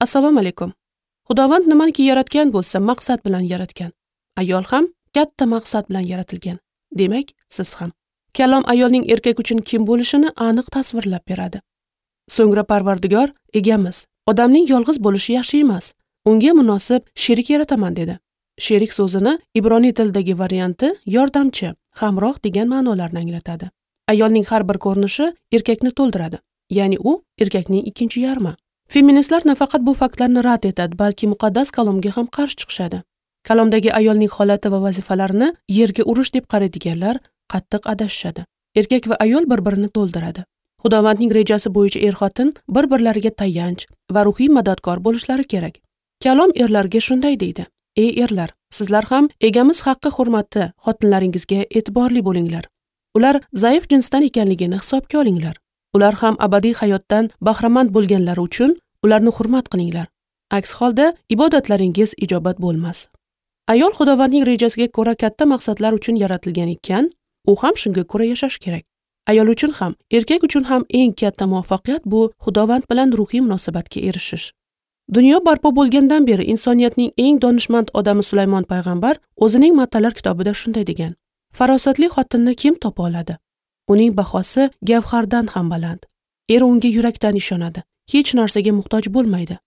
Assalomu alaykum. Xudovand nimaniki yaratgan bo'lsa, maqsad bilan yaratgan. Ayol ham katta maqsad bilan yaratilgan. Demak, siz ham. Kalom ayolning erkak uchun kim bo'lishini aniq tasvirlab beradi. So'ngra Parvardigor egamiz, odamning yolg'iz bo'lishi yaxshi emas, unga munosib sherik yarataman dedi. Sherik so'zini ibroniy tilidagi varianti yordamchi, hamroh degan ma'nolarni anglatadi. Ayolning har bir ko'rinishi erkakni to'ldiradi, ya'ni u erkakning ikkinchi yarmi. Feministlar nafaqat bu faktlarni rad etadi, balki muqaddas kalomga ham qarshi chiqishadi. Kalomdagi ayolning holati va vazifalarini yerga urish deb qaraydiganlar qattiq adashishadi. Erkak va ayol bir-birini to'ldiradi. Xudovandning rejasi bo'yicha er-xotin bir-birlariga tayanch va ruhiy madadkor bo'lishlari kerak. Kalom erlarga shunday deydi: Ey erlar, sizlar ham egamiz haqqi hurmati xotinlaringizga e'tiborli bo'linglar. Ular zaif jinsdan ekanligini hisobga olinglar. Ular ham abadiy hayotdan bahramand bo'lganlari uchun ularni hurmat qilinglar. Aks holda ibodatlaringiz ijobat bo'lmas. Ayol Xudovandning rejasiga ko'ra katta maqsadlar uchun yaratilgan ekan, u ham shunga ko'ra yashash kerak. Ayol uchun ham, erkak uchun ham eng katta muvaffaqiyat bu Xudovand bilan ruhiy munosabatga erishish. Dunyo barpo bo'lgandan beri insoniyatning eng donishmand odami Sulaymon payg'ambar o'zining Matalar kitobida shunday degan: Farosatli xotinni kim topa oladi? Uning bahosi gavhardan ham baland. Eri unga yurakdan ishonadi, hech narsaga muhtoj bo'lmaydi.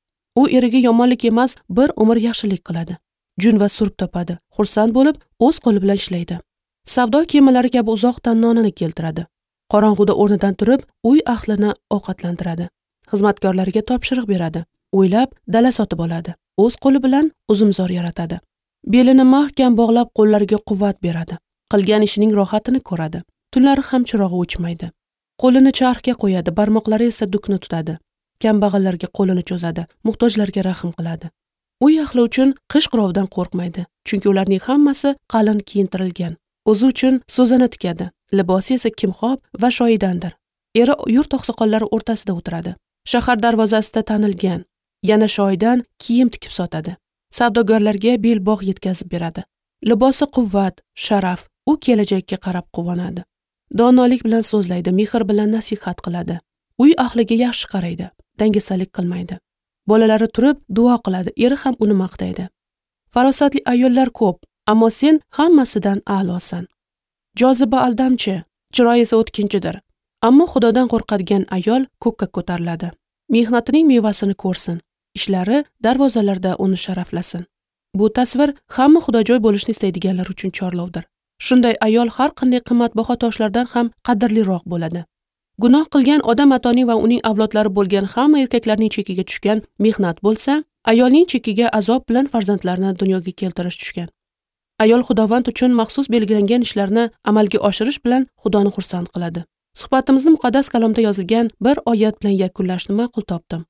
U eriga yomonlik emas, bir umr yaxshilik qiladi. Jun va surp topadi, xursand bo'lib, o'z qo'li bilan ishlaydi. Savdo kemalari kabi uzoqdan nonini keltiradi. Qorong'uda o'rnidan turib, uy ahlini ovqatlantiradi. Xizmatkorlariga topshiriq beradi. O'ylab dala sotib oladi. O'z qo'li bilan uzumzor yaratadi. Belini mahkam bog'lab, qo'llariga quvvat beradi. Qilgan ishining rohatini ko'radi. Tunlari ham chirog'i o'chmaydi. Qo'lini charxga qo'yadi, barmoqlari esa dukni tutadi. Kambag'allarga qo'lini cho'zadi, muhtojlarga rahm qiladi. Uy ahli uchun qish qirovdan qo'rqmaydi, chunki ularning hammasi qalin kiyintirilgan. O'zi uchun so'zini tikadi, libosi esa kimxob va shoyidandir. Eri yurt oqsoqollari o'rtasida o'tiradi. Shahar darvozasida tanilgan, yana shoyidan kiyim tikib sotadi. Savdogarlarga belbog' yetkazib beradi. Libosi quvvat, sharaf, u kelajakka qarab quvonadi. Donolik bilan so'zlaydi, mehr bilan nasihat qiladi. Uy ahliga yaxshi qaraydi, dangasalik qilmaydi. Bolalari turib duo qiladi, eri ham uni maqtaydi. Farosatli ayollar ko'p, ammo sen hammasidan a'losan. Joziba aldamchi, chiroy esa o'tkinchidir. Ammo Xudodan qo'rqadigan ayol ko'kka ko'tariladi. Mehnatining mevasini ko'rsin, ishlari darvozalarda uni sharaflasin. Bu tasvir hamma xudojoy bo'lishni istaydiganlar uchun chorlovdir. Shunday ayol har qanday qimmatbaho toshlardan ham qadrliroq bo'ladi. Gunoh qilgan odam atoning va uning avlodlari bo'lgan hamma erkaklarning chekiga tushgan mehnat bo'lsa, ayolning chekiga azob bilan farzandlarni dunyoga keltirish tushgan. Ayol Xudovand uchun maxsus belgilangan ishlarni amalga oshirish bilan Xudoni xursand qiladi. Suhbatimizni muqaddas kalomda yozilgan bir oyat bilan yakunlashni ma'qul topdim.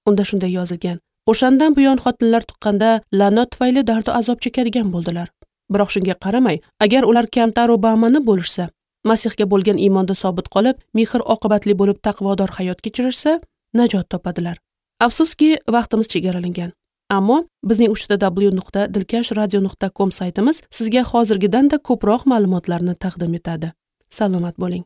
Unda shunday yozilgan: O'shandan buyon xotinlar tuqqanda la'nat tufayli dardu azob chekadigan bo'ldilar. Biroq shunga qaramay, agar ular kamtar va bama'ni bo'lishsa, Masihga bo'lgan iymonda sobit qolib, mehr oqibatli bo'lib taqvodor hayot kechirishsa, najot topadilar. Afsuski, vaqtimiz chegaralangan. Ammo bizning www.dilkashradio.com saytimiz sizga hozirgidan-da ko'proq ma'lumotlarni taqdim etadi. Salomat bo'ling.